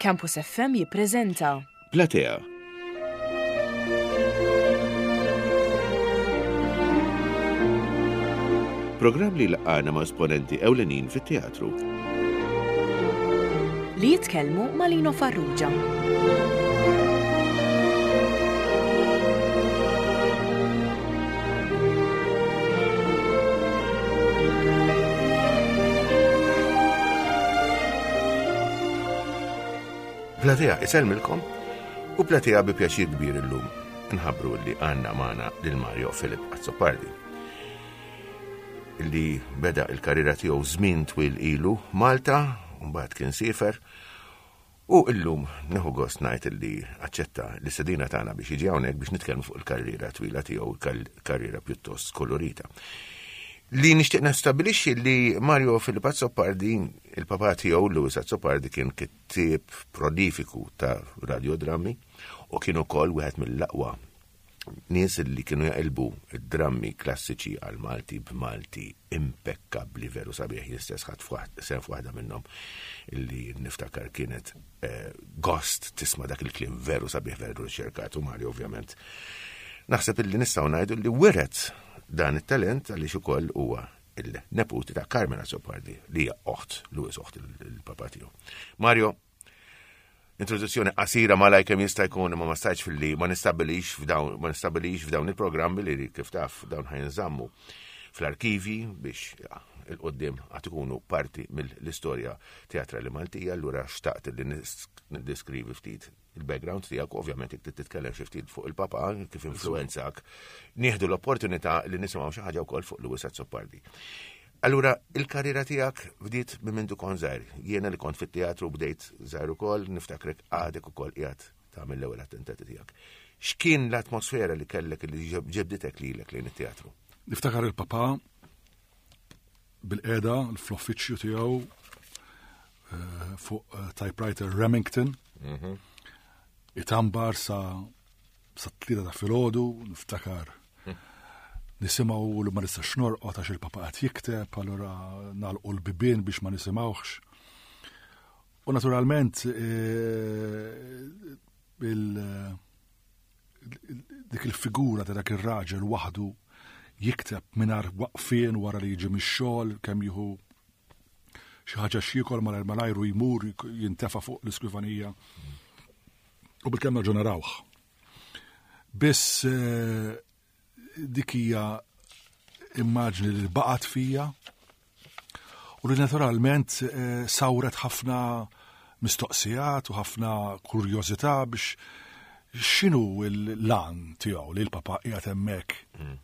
Campus FM jippreżenta. Platea. Programm li laqgħana ma' esponenti ewlenin fit-teatru. Li jitkellmu ma' Lino Farrugia. Platea isellmilkom u platea bi pjaċir kbir illum nħabbru li għandna magħna lil Mario Filip Azzopardi li beda il-karriera tiegħu żmien twil ilu Malta, mbagħad kien siefer U illum nieħu gost ngħid li aċċetta l-istedina tagħna biex jiġi hawnhekk biex nitkellmu fuq il-karriera twila tiegħu, karriera pjuttost kolorita. Li nixtieq nastabilixxi li Mario Filip Azzopardi, il-papà tiegħu Louis Azzopardi kien kittieb prolifiku ta' radiodrammi u kien ukoll wieħed mill-aqwa nies li kienu jaqilbu id-drammi klassiċi għal Malti b'Malti impekkabbli veru sabiħ jien stess ħadt sehem f'waħda minnhom li niftakar kienet eh, gost tisma' dak il-kliem veru sabiħ veru riċerkat u Mario ovvjament. Naħseb illi nistgħu ngħidu li wiret dan it-talent għaliex ukoll huwa il-neputi ta' Carmen Azzopardi li hija oħt Louis oħt il-papa tiegħu. Mario, Introduzzjoni qasira malaj kemm jista' jkun imma ma stajtx filli ma nistabbilix f'dawn ma nistabbilix f'dawn il-programmi li kif taf dawn ħajnżammu fl-arkivi biex il-qoddim għad ikunu parti mill-istorja teatrali Maltija, allura xtaqt li niddeskrivi ftit il-background tiegħek, ovvjament jekk titkellem xi ftit fuq il-papa kif influenzak, nieħdu l-opportunità li nisimgħu xi ħaġa wkoll fuq Louis Azzopardi. Allura, il-karriera tiegħek bdiet minn mindu kont żgħir. Jiena li kont fit-teatru bdejt żgħir ukoll, niftakrek għadek ukoll qiegħed tagħmel l-ewwel attentati tiegħek. X'kien l-atmosfera li kellek li ġebditek lilek lejn it-teatru? Niftakar il-papa bil-qeda fl-uffiċċju tiegħu eh, fuq eh, typewriter Remington. Mhm. Itambar sa sa tlieta ta' filgħodu, niftakar nisimgħu li ma nistax norqod għax il-papa qed jikteb, allura nagħlqu l-bibien biex ma nisimgħuhx. U naturalment eh, il dik il-figura ta' dak ir-raġel waħdu jikteb mingħajr waqfien wara li jiġi mix-xogħol kemm jieħu xi ħaġa x'jiekol malajr malajru jmur jintefa' fuq l-iskrivanija. U bil-kemm nerġgħu narawh. Biss eh, dik hija immaġni li baqgħet fija u li naturalment eh, sawret ħafna mistoqsijat u ħafna kurjożità biex x'inhu l-lan tiegħu li l-papa qiegħed hemmhekk mm.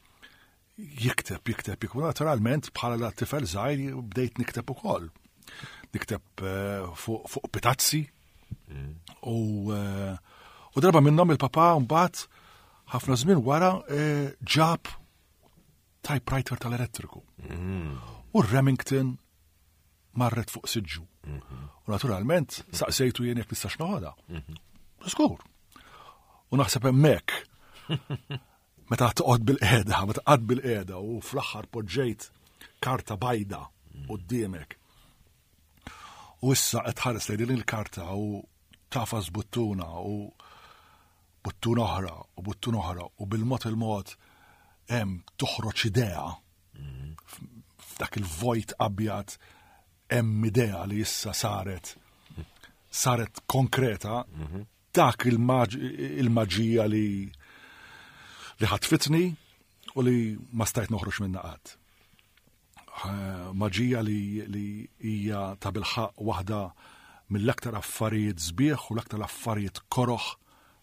jikteb, jikteb, jikteb. Naturalment, bħala da tifel żgħir bdejt nikteb ukoll. Nikteb eh, fuq pitazzi. Mm. U, eh, u darba minnhom il-papa mbagħad ħafna żmien wara eh, ġab typewriter tal-elettriku. Mm. U Remington marret fuq siġġu. Mhm. U naturalment saqsejtu jien jekk nistax noħodha. Mhm. Skur. U naħseb hemmhekk Meta toqgħod bil-qiegħda, meta qgħad bil-qiegħda u fl-aħħar poġġejt karta bajda quddiemek. U issa qed tħares lejn din il-karta u tafas buttuna u buttuna oħra u buttuna oħra u bil-mod il-mod hemm toħroġ idea f'dak il-vojt abjad hemm idea li issa saret saret konkreta mhm. Dak il-maġija li li ħatfitni u li ma stajt noħroġ minna qatt. Maġija li, li hija ta' bilħaq waħda mill-aktar affarijiet sbieħ u l-aktar affarijiet koroħ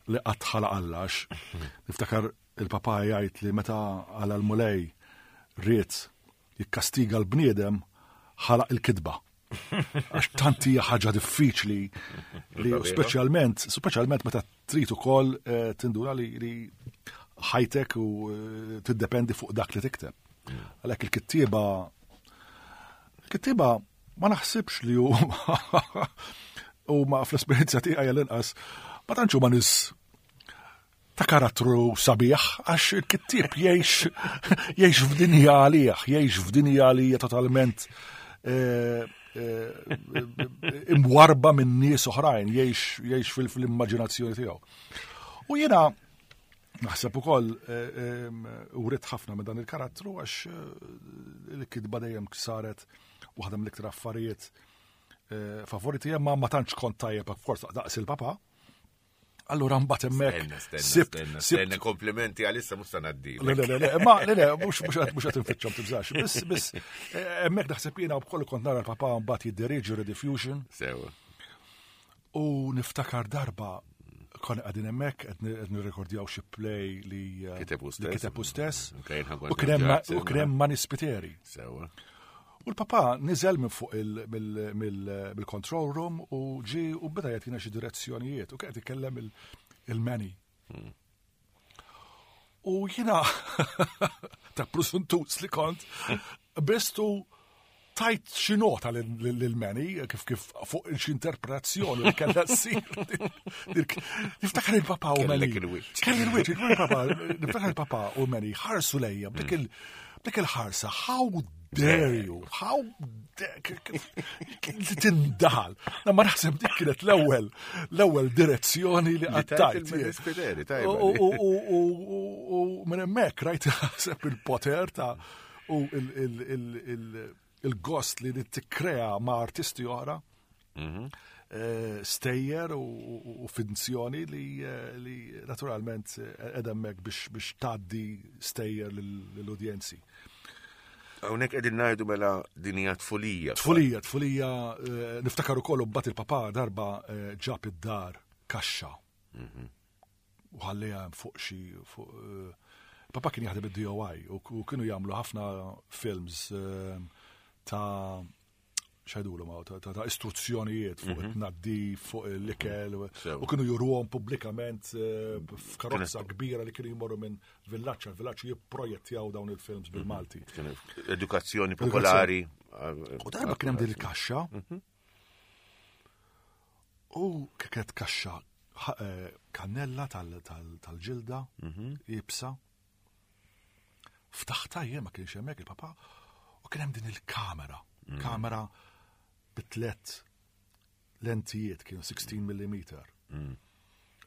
li qatt ħalaq Alla għax niftakar il-papa jgħid li meta għala l-mulej ried jikkastiga l-bniedem ħalaq il-kitba. Għax tant hija ħaġa diffiċli li speċjalment, speċjalment meta trid ukoll eh, tindura li, li ħajtek u eh, tiddependi fuq dak li tikteb. Mm. Għalhekk il-kittieba il-kittieba ma naħsibx li hu huma fl-esperjenza tiegħi għall-inqas ma tantx huma nies ta' karattru sabiħ għax il-kittieb jgħix jgħix f'dinja għalih, jgħix f'dinja li hija totalment eh, eh, imwarba minn nies oħrajn, jgħix fil-immaġinazzjoni tiegħu. U jiena naħseb ukoll eh, urid ħafna minn dan il-karattru għax eh, il-kitba dejjem saret waħda mill-iktar affarijiet favoriti ma ma tantx kont tajjeb forsa daqs il-papa. Allura mbagħad hemmhekk. Sibt, stenna komplimenti għalissa mhux se ngħaddi. Le le le, ma le le mhux mhux qed mhux qed infittxhom tibżax. Biss biss eh, hemmhekk naħseb jiena wkoll kont nara l-papà mbagħad jiddiriġi Rediffusion. Sewa. U niftakar darba konna qegħdin hemmhekk qed nirrekordjaw xi play li eh, kiteb hu stess. U kien hemm Mani Spiteri. Sewa. U l-papà niżel minn fuq mill-control room u ġi u beda jagħtina xi direzzjonijiet u kien qed ikellem il-Manny. Hmm. U jiena ta' prusuntus li kont, bistu tajt xi nota lil Manny kif kif fuq xi interpretazzjoni li kellha ssir. Niftakar il-papa u Manny. Kelli il-wiċċ, il-papa, niftakar il-papa u Manny ħarsu lejja b'dik il- Dik il-ħarsa, how dare you, how dare tindaħal. Na ma naħseb dik kienet l-ewwel l-ewwel direzzjoni li qattajt. U minn hemmhekk rajt naħseb il-poter ta' u il-gost li tikkrea ma' artisti oħra. Mhm. Eh, stejjer u finzjoni li, eh, li naturalment eh, edemmek biex, biex taddi stejjer l-udjenzi. Hawnhekk qegħdin ngħidu mela din hija tfulija. Tfulija, tfulija, niftakar ukoll bat il-papa darba ġab id-dar kaxxa. Mhm. U ħallija fuq xi fuq Papa kien jaħdem id-DOI u kienu jagħmlu ħafna films ta' xajdulu ma ta' ta' istruzzjonijiet fuq mhm. it-tnaddif, fuq l-ikel, u kienu juruhom pubblikament eh, f'karozza kbira li kienu jmorru minn villaġġ għal villaġġ jipprojettjaw dawn il-films mhm. bil-Malti. Edukazzjoni popolari. U darba kien hemm din il-kaxxa. Mhm. U kienet kaxxa eh, kannella tal-ġilda, ibsa. Ftaħta jien ma kienx hemmhekk il-papa u kien hemm din il-kamera, mm. kamera bi tlet lentijiet kienu 16 mm. Mm.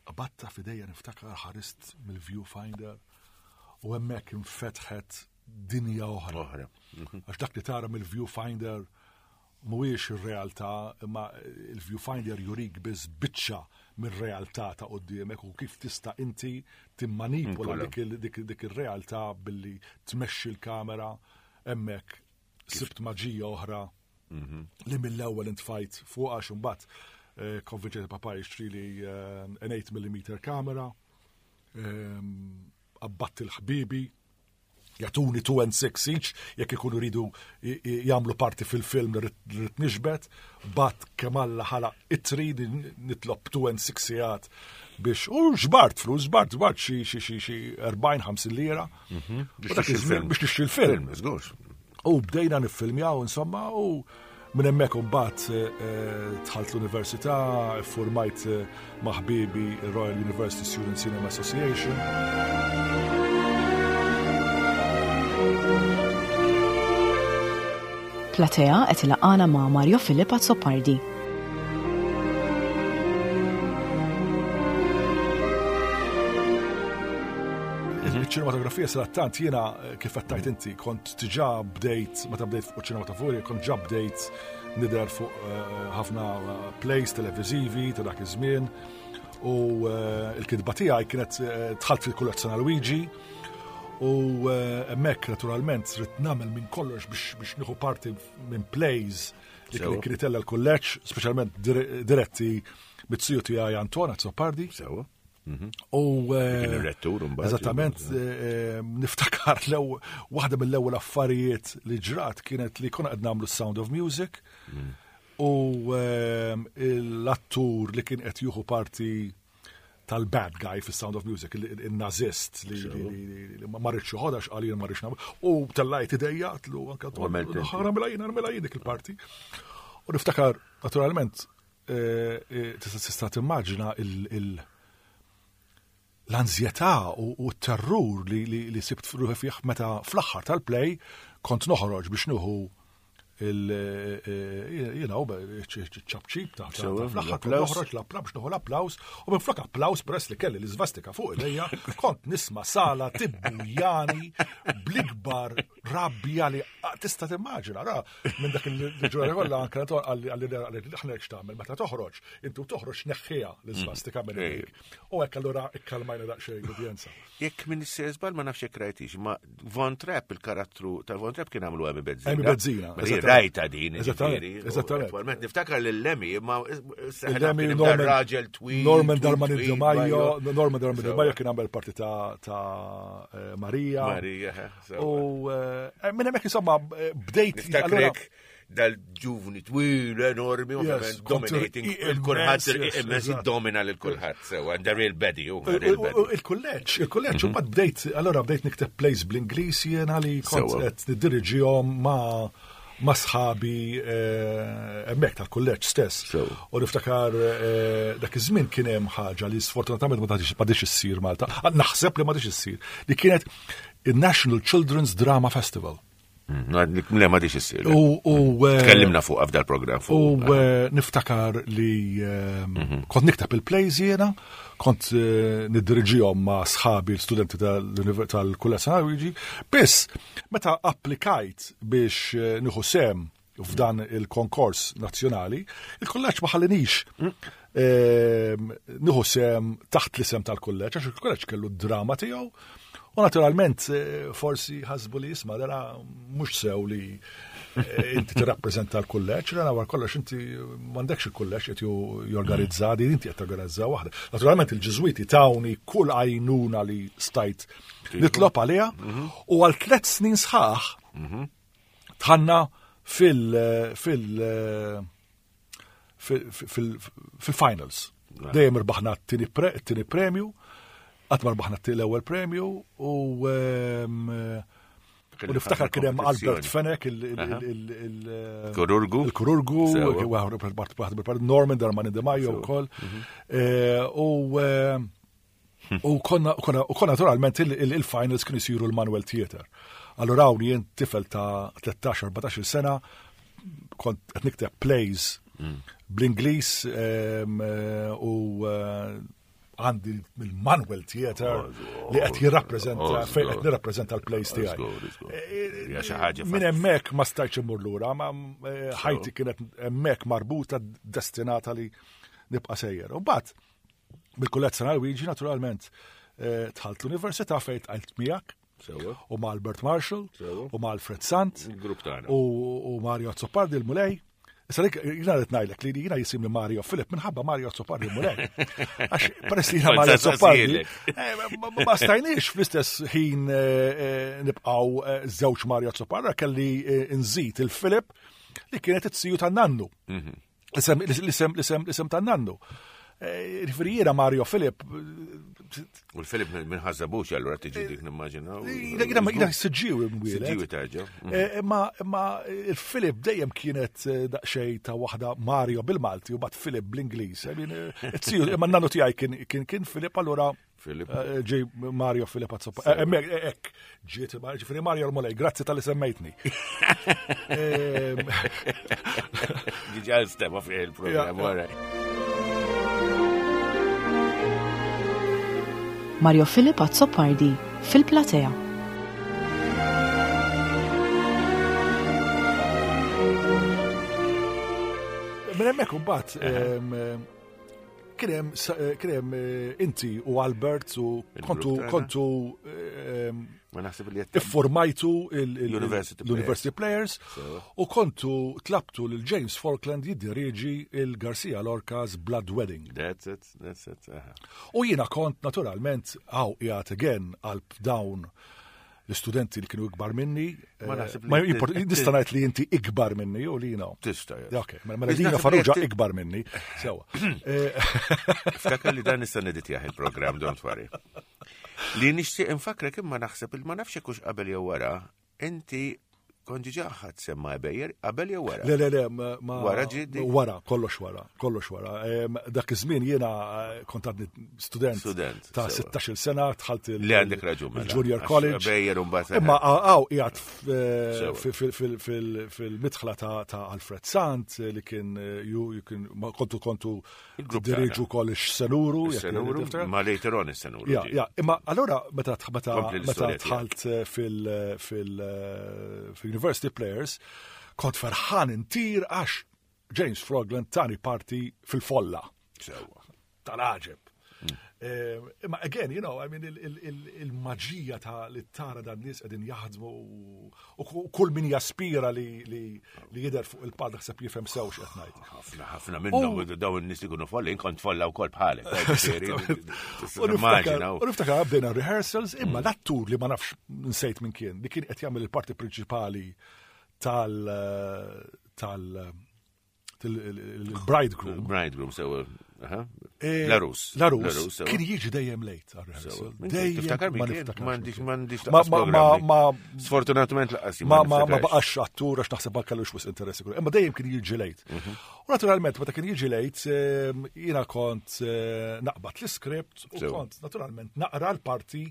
Qabatta fidejja niftakar ħarist mill-viewfinder u hemmhekk infetħet dinja oħra. Oħra. Mhm. Għax dak li tara mill-viewfinder Mhuwiex ir-realtà, imma il-viewfinder jurik biss biċċa mir-realtà ta' quddiemek u kif tista' inti timmanipula dik ir-realtà billi tmexxi l-kamera hemmhekk sibt maġija oħra mhm. li mill-ewwel intfajt fuq għax imbagħad eh, konvinċejt papa jixtrili eh, an 8 mm kamera, ehm, abbatt il-ħbibi jagħtuni 2 and 6 each jekk ikunu ridu jagħmlu parti fil-film li rrid nixbet, bat kemm Alla ħalaq itri nitlob 2 and 6 sigħat biex u xbart flus, xbart xbart xi xi xi xi 40-50 lira. Mhm. Biex nixtri l-film. Żgur. U bdejna niffilmjaw insomma u Minn hemmhekk imbagħad eh, eh, dħalt l-università, iffurmajt eh, ma' ħbiebi Royal University Student Cinema Association. Platea qed ilaqana ma' Mario Filip Azzopardi. Il-ċinematografija sadattant jiena kif qed tgħid inti kont diġà bdejt meta bdejt fuq ċinematografija kont ġa bdejt nidher fuq eh, ħafna eh, plays televiżivi ta' dak iż-żmien u eh, l-kitba tiegħi kienet dħalt fil-kollezzjoni Luigi u hemmhekk naturalment rid nagħmel minn kollox biex nieħu parti minn plays li kien kien itella l-kulleġġ, speċjalment diretti mit-siju tiegħi Anton Azzopardi. Sewa. Mhm. U eh, Kien ir-rettur imbagħad. Eżattament, eh, eh, niftakar l waħda mill-ewwel affarijiet li ġrat kienet li konna qed nagħmlu Sound of Music mm. u l-attur li kien qed jieħu parti tal-bad guy fis Sound of Music, il-nazist li ma rridx joħodha x'qal jien ma rridx nagħmel. U tellajt idejja tlu anke ħaramela jien ħaramela jien dik il-parti. U niftakar naturalment Eh, eh, tista' timmaġina l-anzjetà u t-terrur li sibt ruħi fih meta fl-aħħar tal-play kont noħroġ biex nieħu Il, you know, ċapċip ta' fl-aħħar kont noħroġ l-applaws, nieħu l-applaws, u minn flok applaws peress li kelli l-iżvastika fuq idejja, kont nisma' sala tibbujani bl-ikbar rabbja li tista' timmaġina, ra, minn dak il-ġurnata kollha anke għalli għalli aħna hekk x'tagħmel meta toħroġ, intu toħroġ neħħiha l-iżvastika minn idejk. U hekk allura ikkalmajna daqsxejn l-udjenza. Jekk minn żball ma nafx jekk rajtix, ma Von Trapp, il-karattru ta' Von Trapp kien għamlu Emi Bezzina. Emi Bezzina. Rajta din. Eżattament. Eżattament. Niftakar l-Lemmy, ma Lemmy Norman raġel twil. Norman Darman Di Maio, Norman Darman Di Maio kien għamel parti ta' eh, Marija. Marija. Eh, U eh, minn hemmhekk insomma bdejt. Niftakrek dal-ġuvni twil, enormi, ovvjament, dominating, il-kulħadd, immens domina lil kulħadd, sewa, the real baddie, Il-kulleġġ, il-kulleġġ, u mbagħad bdejt, allora bdejt nikteb plays bl-Ingliż jiena li kont qed niddiriġihom ma' ma' sħabi eh, hemmhekk tal-kulleġġ stess. U niftakar eh, dak iż-żmien kien hemm ħaġa li sfortunatament ma tgħadix issir Malta. Naħseb li ma tgħadix issir, li kienet il-National Children's Drama Festival. Mm, le ma diċ issir. U eh, tkellimna fuq f'dal program fuq. U eh, niftakar li eh, mhm. kont nikteb il-plays jiena, kont niddirġihom ma' sħabi l-studenti tal-Kulleġġ San Luigi, biss meta applikajt biex nieħu sem f'dan il-konkors nazzjonali, il-kulleġġ ma ħallinix mm. nieħu sem taħt l-isem tal-kulleġġ, għax il-kulleġġ kellu d-drama tiegħu. U naturalment, eh, forsi ħasbu li jisma' dara mhux sew li eh, inti tirrappreżenta l-kulleġġ, dara war kollox inti m'għandekx il-kulleġġ qed jorganizza din inti qed torganizza waħda. Naturalment il-Ġiżwiti tawni kull għajnuna li stajt nitlob għaliha mhm. u għal tliet snin sħaħ mhm. Tħanna fil fil fil-finals. Dejjem irbaħna t-tieni premju, qatt ma rbaħna l-ewwel premju u ehm, U niftakar kien hemm Albert Fenech il-kururgu. Il-kururgu, Norman Darman Di Maio wkoll. Mhm. Eh, u eh, U konna, u konna naturalment il-finals kienu jsiru l-Manuel Theater. Allura hawn jien tifel ta' 13-14 sena kont qed nikteb plays mm. bl-Ingliż u eh, għandi il-Manuel Theater li qed jirrappreżenta fejn qed nirrappreżenta l-plays tiegħi. Eh, eh, minn hemmhekk ma stajtx immur lura, ma ħajti kienet hemmhekk marbuta destinata li nibqa' sejjer. U mbagħad Bil-Kulleġġ San Alwiġi naturalment eh, dħalt l-università fejn tqajt miegħek. U ma' Albert Marshall, u ma' Alfred Sant, u Mario Azzopardi l-Mulej. Issa dik jina qed ngħidlek li jiena jisimni Mario Filip minħabba Mario Azzopardi l-Mulej. Għax peress li jiena Mario Azzopardi, eh, ma stajniex fl-istess ħin eh, nibqgħu żewġ Mario Azzopardi kelli nżid il-Filip li kienet it-siju tan-nannu. Mhm. L-isem, l-isem, l-isem, l-isem tan-nannu. Eh, ġifieri jiena Mario Filip. U l-Filip minn ħazzabux allura tiġi dik nimmaġina. Jiena jiena siġġiwi mwieled. Siġġiwi terġa'. Mm. Eh, imma imma il-Filip dejjem kienet eh, daqsxejn ta' waħda Mario bil-Malti u bat Filip bl-Ingliż. Imma n-nannu tiegħi kien kien Filip allura Filip. Eh, ġej Mario Filip Azzoppa. Eh, eh, ek, ġiet, ġifiri Mario l-Mulej, grazzi tal-li semmejtni. Ehm. Diġa stema fi il-program, Mario Filip Azzopardi fil-platea. Minn hemmhekk imbagħad ehm, Kien hemm eh, kien hemm eh, inti u Albert u kontu kontu eh, Ma naħseb li iffurmajtu l-University Players u kontu tlabtu lil James Falkland jiddirieġi il-Garcia Lorca's Blood Wedding. That's it, that's it. U jiena kont naturalment għaw qiegħed again qalb dawn l-istudenti li kienu ikbar minni. Ma eh, naħseb li. Nista' ngħid li inti ikbar minni u li no. Tista' Ok, mela, mela Dino Farrugia ikbar minni. Sewa. Eh, Ftakar li dan nista' neditjah il-programm, don't worry. Li nixtieq infakrek imma naħseb il ma nafx hekk qabel jew wara, inti Kont diġà ħadd semma Ebejer qabel jew wara? Le, le, le, ma. Wara ġiet Wara, kollox wara, kollox wara. Dak iż-żmien jiena eh, kont għadni student. Student. Ta' 16 sena dħalt il- Li għandek raġun. Mela. Il-Junior College. Ebejer u mbagħad. Imma għaw qiegħed eh, fil-midħla ta' Alfred Sant eh, li kien ju kien kontu kontu diriġu wkoll ix-senuru. Senuru, ma later on is-senuru. Ja, ja, imma allura meta meta meta dħalt eh, fil-University eh, Players, kont ferħan intir għax James Frogland tani parti fil-folla. Sewa. Tal-ħaġeb. Eh, imma again, you know, I mean, il-maġija ta' li tara dan nies qegħdin jaħdmu u kull min jaspira li jidher fuq il-pad naħseb jifhem sew x'qed ngħid. Ħafna ħafna minnhom dawn in-nies li jkunu folli, kont folla wkoll bħalek. U niftakar bdejna rehearsals, imma mm. l-attur li ma nafx nsejt minn kien, li kien qed jagħmel il-parti prinċipali tal tal il-bridegroom. Bridegroom, sewa. Eh, Larus. Larus. Kien jiġi dejjem late għal-rehearsal. Dejjem. Ma niftakar. M'għandix, m'għandix. Ma, ma, ma. Sfortunatament laqas. Ma, ma, ma baqax attur għax naħseb ma kellux wisq interess. Imma dejjem kien jiġi late. Mhm. U naturalment, meta kien jiġi late, ehm, jiena kont eh, naqbad l-iskript u kont naturalment naqra l-parti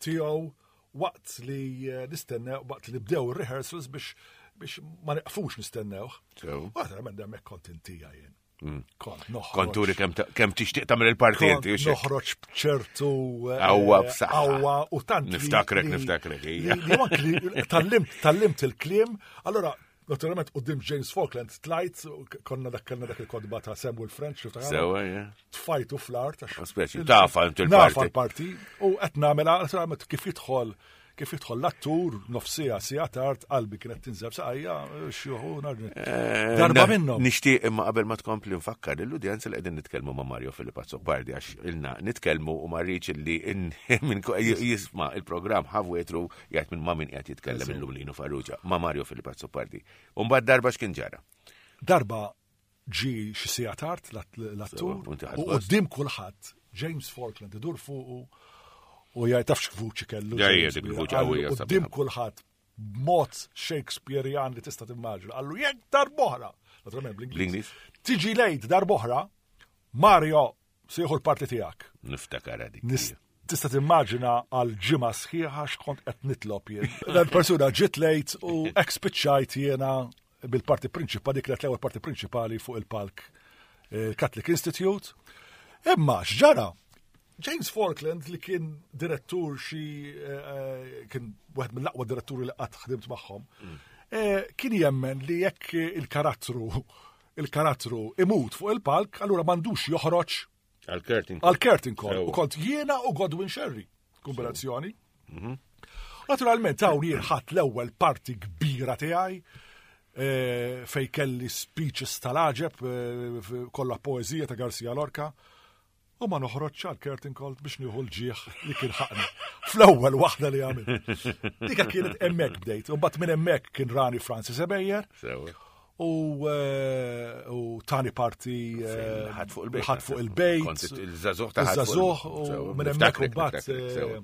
tiegħu waqt li eh, nistennew, waqt li bdew ir-rehearsals biex biex ma neqfux nistennewh. U naturalment hemmhekk kont intija jien. Mm. Kont noħroġ. Konturi kemm tixtieq tagħmel il-parti inti. Noħroġ b'ċertu eh, qawwa b'saħħa. Qawwa u tant. Niftakrek, niftakrek. Tallimt, tallimt il-kliem, allora Naturalment, qudiem James Falkland tlajt, konna dak kellna dak il-kodba ta' Samuel French, Sewa, yeah. Tfajtu fl-art. Speċi, tafa inti l-parti. Nafa l-parti, u qed nagħmilha, naturalment, kif jidħol kif jidħol l-attur, nofsija, sija tard, qalbi kienet tinżel saqajja, xjuħu, eh, darba minnhom. Nixtieq imma qabel ma tkompli nfakkar lill-udjenza li qegħdin nitkellmu ma' Mario Filippo Azzopardi għax ilna nitkellmu u ma rridx li jisma' il-programm ħafwetru Jgħid minn ma' min qiegħed jitkellem illum Lino Farrugia, ma' Mario Filip Azzopardi. U mbagħad darba x'kien ġara? Darba ġi xi siegħa tard l-attur u quddiem kulħadd James Falkland idur fuqu u jgħid tafx vuċi kellu. Quddiem kulħadd b'mod Shakespearean li tista' timmaġina. Qallu jekk darboħra, naturalment bl-Ingliż. Tiġi lejt darboħra, Mario Se jieħu l-parti tiegħek. Niftakar dik. Tista' timmaġina għal ġimgħa sħiħa x'kont qed nitlob jien. Dan persuna ġiet lejt u hekk spiċċajt jiena bil-parti prinċipali, dik l-ewwel parti prinċipali fuq il-palk eh, Catholic Institute. Imma x'ġara? James Falkland li kien direttur xi eh, eh, kien wieħed mill-aqwa diretturi li qatt ħdimt magħhom, mm. kien jemmen li jekk il-karattru il-karattru imut fuq il-palk, allura m'għandux joħroġ għal-curtain għal-curtain call. U kont jiena u Godwin Sherry, kombinazzjoni. Mhm. Naturalment hawn jien ħadd l-ewwel parti kbira tiegħi eh, fej kelli speeches tal-aġeb eh, kollha poeżija ta' Garcia Lorca. U ma noħroġx għal curtain call biex nieħu l-ġieħ li kien ħaqni. Fl-ewwel waħda li għamil. Dika kienet hemmhekk bdejt. U mbagħad minn hemmhekk kien rani Francis Ebejer. U eh, u tani parti eh, ħadd fuq il-bejt. Ħadd fuq il-bejt. Il-żagħżugħ ta' Il-żagħżugħ u minn hemmhekk u mbagħad eh,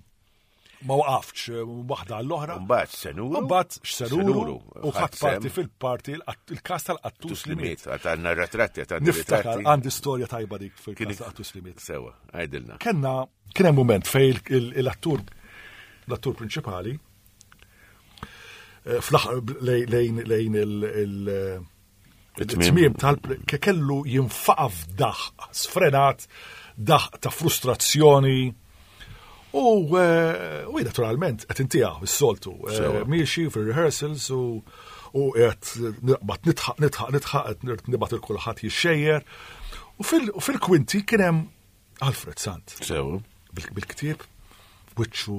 ma waqafx eh, waħda għall-oħra. Mbagħad senuru. Mbagħad x'senuru u ħadd parti fil-parti il-każ tal-qattus li miet. Għandna ritratti, għandna ritratti. Għandi storja tajba dik fil-każ tal-qattus li miet. Sewa, għajdilna. Kenna kien hemm mument fej l-attur l-attur prinċipali eh, fl-aħħar lejn lejn il- it-tmiem tal kellu jinfaqa f'daħq sfrenat, daħq ta' frustrazzjoni. U eh, u naturalment qed intiha s-soltu eh, miexi fir-rehearsals u u qed naqbad nitħaq nitħaq nitħaq qed nibgħat il kulħadd jixxejjer. U fil-kwinti kien hemm Alfred Sant. Sew. Bil-ktieb, wiċċu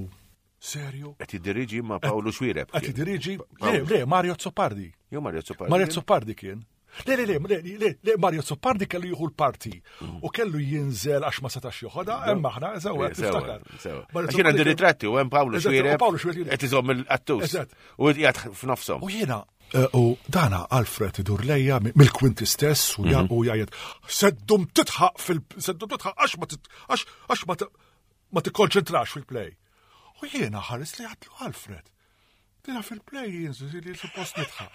Serju? Qed jiddiriġi ma' Paolo Xwireb. Qed jiddiriġi? Le, le, Mario Zoppardi. Jew Mario Zoppardi. Mario Zoppardi kien. Le, le, le, le, le, Mario Zoppardi kellu jieħu l-parti mm. u kellu jinżel għax ma setax joħodha, hemm aħna, sewa, tiftakar. Għax jiena għandi ritratti u hemm Paolo Xwireb. Paolo Xwireb. Qed iżomm il-qattus. U qiegħed f'nofshom. U jiena eh, u dana Alfred idur lejja mill-kwinti stess u mhm. jgħid seddum titħaq fil seddum titħaq għax ma għax ma ma tikkonċentrax fil-play. U jiena ħares li għatlu Alfred. Dina fil-play li suppost nidħaq.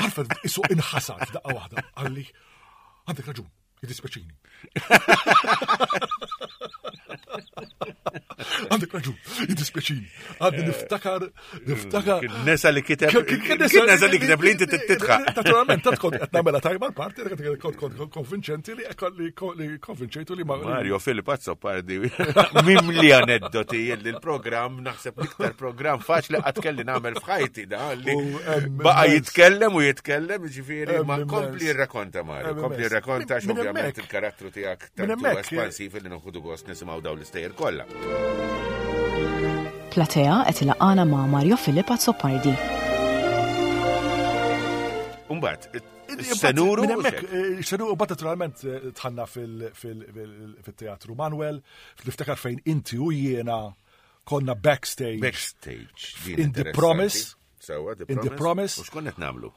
Alfred isu inħasad f'daqqa waħda, qalli għandek raġun, jiddispjaċini. Għandek raġun, jiddispjaċini. Għadni niftakar, niftakar. Kien nesa li kiteb. Kien nesa li kiteb li inti titħaq. Naturalment, tant kont qed nagħmilha tajba l-parti, kont kont konvinċenti li li konvinċejtu li ma. Mario Filip Azzopardi mimli aneddoti li l-programm naħseb l-iktar programm faċli qatt kelli nagħmel f'ħajti da li baqa' jitkellem u jitkellem ġifieri ma kompli jirrakonta Mario, kompli jirrakonta ovvjament il-karattru tiegħek Minn hemmhekk espansiv li noħdu gost nisimgħu dawn l-istejjer kollha. Platea qed ilaqana ma' Mario Filip Azzopardi. Umbagħad, Senuru. Minn hemmhekk, eh, senuru bat naturalment eh, tħanna fil-teatru Manuel, niftakar fejn inti u jiena konna backstage. Backstage. In the Promise. Sewa, The In the Promise. U x'konna qed nagħmlu?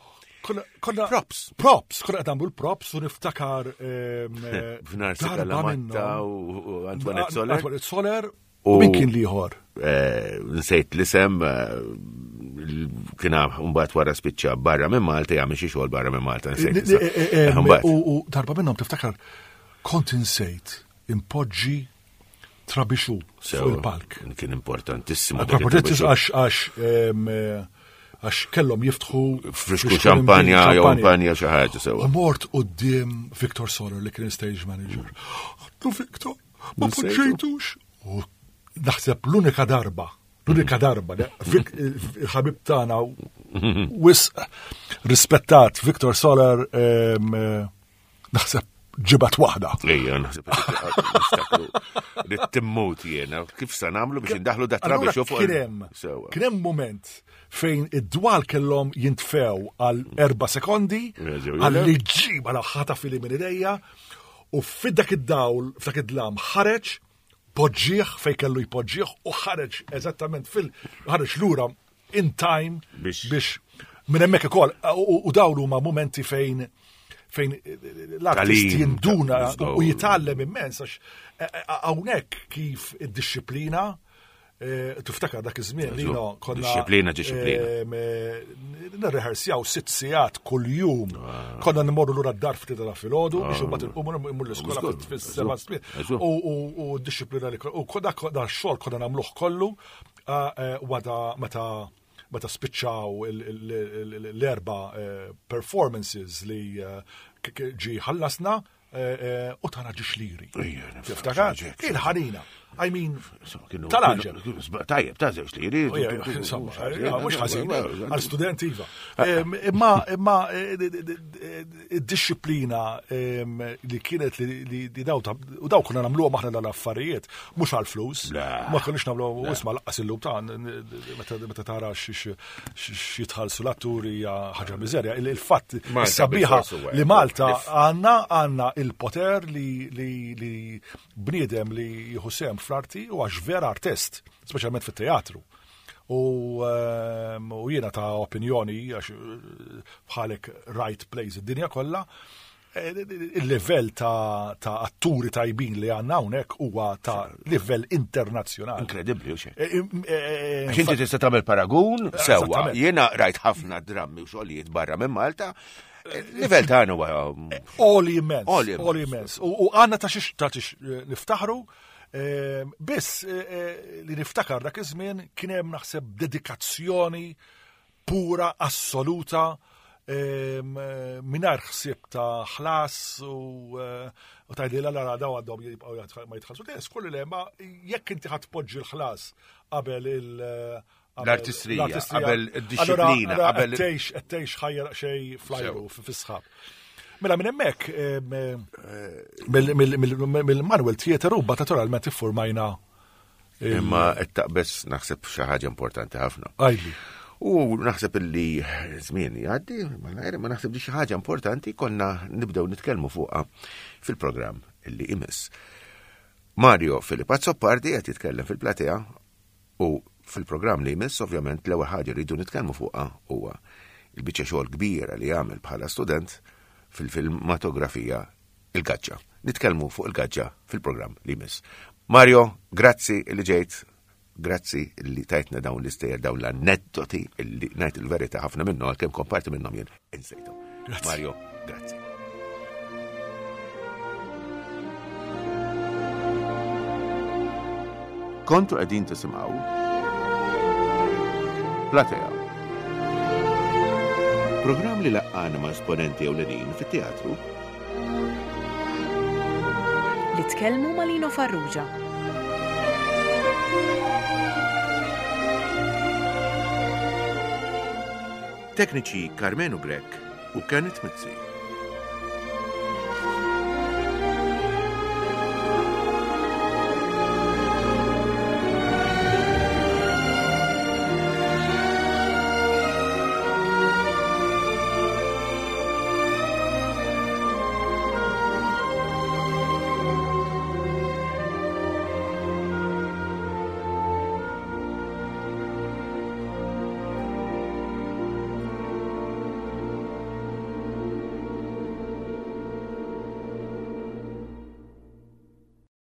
Konna props. Props, konna qed nagħmlu l-props u niftakar ehm, F'nar Matta u Antoinette Soler. Antoinette Soler u min kien liħor? Eh, nsejt l-isem eh, kien mbagħad wara spiċċa barra minn Malta jagħmel xi xogħol barra minn Malta. Eh, u darba minnhom tiftakar kont insejt impoġġi trabixu fuq il-palk. Kien importantissimu. Importantissimu għax għax eh, għax kellhom jiftħu frisku xampanja jew xampanja xi ħaġa sewwa. U mort quddiem Victor Soler li kien stage manager. Għatlu Victor, ma poġġejtux. U naħseb l-unika darba L-unika darba, il-ħabib tagħna wisq rispettat Victor Soler eh, naħseb ġibat waħda. Ejja, naħseb li timmut jiena, kif sa nagħmlu biex indaħlu da trabi fuq. Kien kien hemm moment fejn id-dwal kellhom jintfew għal erba' sekondi għal li ġiba la ħata fili minn idejja u fid-dak id-dawl, f'dak id-dlam ħareġ poġġieħ fej kellu jpoġġieħ u ħareġ eżattament fil ħareġ lura in time biex minn hemmhekk ukoll u dawn huma momenti fejn fejn l-artist jinduna u jitgħallem immens għax e, e, hawnhekk kif id-disciplina e, tiftakar dak iż-żmien li konna disciplina disciplina. Nirrehersjaw sitt sigħat kuljum. Ah. Konna nmorru lura d-dar ftit ta' filgħodu biex ah. imbagħad inqumu mmur l-iskola fis-seba' u d-disciplina li u dak xogħol konna nagħmluh kollu wada meta meta spiċċaw l-erba eh, performances li eh, ġi ħallasna eh, u tana ġiex liri. Tiftakar? Il-ħanina. I mean, tal-ħaġa. Tajjeb, ta' żewġ liri. Mhux ħażin, għal student iva. Imma imma id-disciplina li kienet li daw u daw konna nagħmluhom aħna dal-affarijiet mhux għall-flus. Ma konniex nagħmlu isma' laqqas illum ta' meta tara x'jitħallsu l-atturi hija ħaġa miżerja. Il-fatt sabiħa li Malta għandna għandna il-poter li bniedem li jieħu sehem fl-arti u għax vera artist, speċjalment fit-teatru. U ehm, u jiena ta' opinjoni għax eh, bħalek right plays id-dinja kollha, eh, il-livell ta', ta atturi tajbin li għanna hawnhekk huwa ta' livell internazzjonali. Inkredibbli u xejn. Eh, għax inti tista' tagħmel paragun sewwa. Jiena rajt ħafna drammi u xogħlijiet barra minn Malta. Livell tagħna huwa Oli immens. Oli immens. U għandna ta' xiex ta' xiex niftaħru Ehm, biss eh, eh, li niftakar dak iż-żmien kien hemm naħseb dedikazzjoni pura, assoluta, ehm, mingħajr ħsieb ta' ħlas u eh, tajdi la la daw għandhom jibqgħu ma jitħallsu. Le, skolli le, ma jekk inti ħadd poġġi l-ħlas qabel il- L-artistrija, qabel id-disciplina, qabel. Qed tgħix ħajja xej flajru fis-sħab. Mela minn hemmhekk mill-Manuel Theater u naturalment iffurmajna. Imma qed taqbeż naħseb xi ħaġa importanti ħafna. Għajli. U naħseb illi żmien jgħaddi, ma naħseb li xi ħaġa importanti konna nibdew nitkellmu fuqha fil-programm illi imiss. Mario Filip Azzopardi qed jitkellem fil-platea U fil-programm li jmiss ovvjament l-ewwel ħaġa li rridu nitkellmu fuqha huwa il-biċċa xogħol kbira li għamel bħala student fil-filmatografija Il-Gaġġa. Nitkellmu fuq il-Gaġġa fil-programm li jmiss. Mario, grazzi li ġejt. Grazzi li tajtna dawn l-istejjer dawn l-aneddoti li ngħid il-verità ħafna minnhom għalkemm komparti minnhom jien insejthom. Mario, grazzi. Kontu qegħdin tisimgħu Platea. Programm li laqqana ma' esponenti ewlenin fit-teatru Li tkellmu ma' Lino Farrugia. Tekniċi Karmenu Grech u Kenneth Mizzi.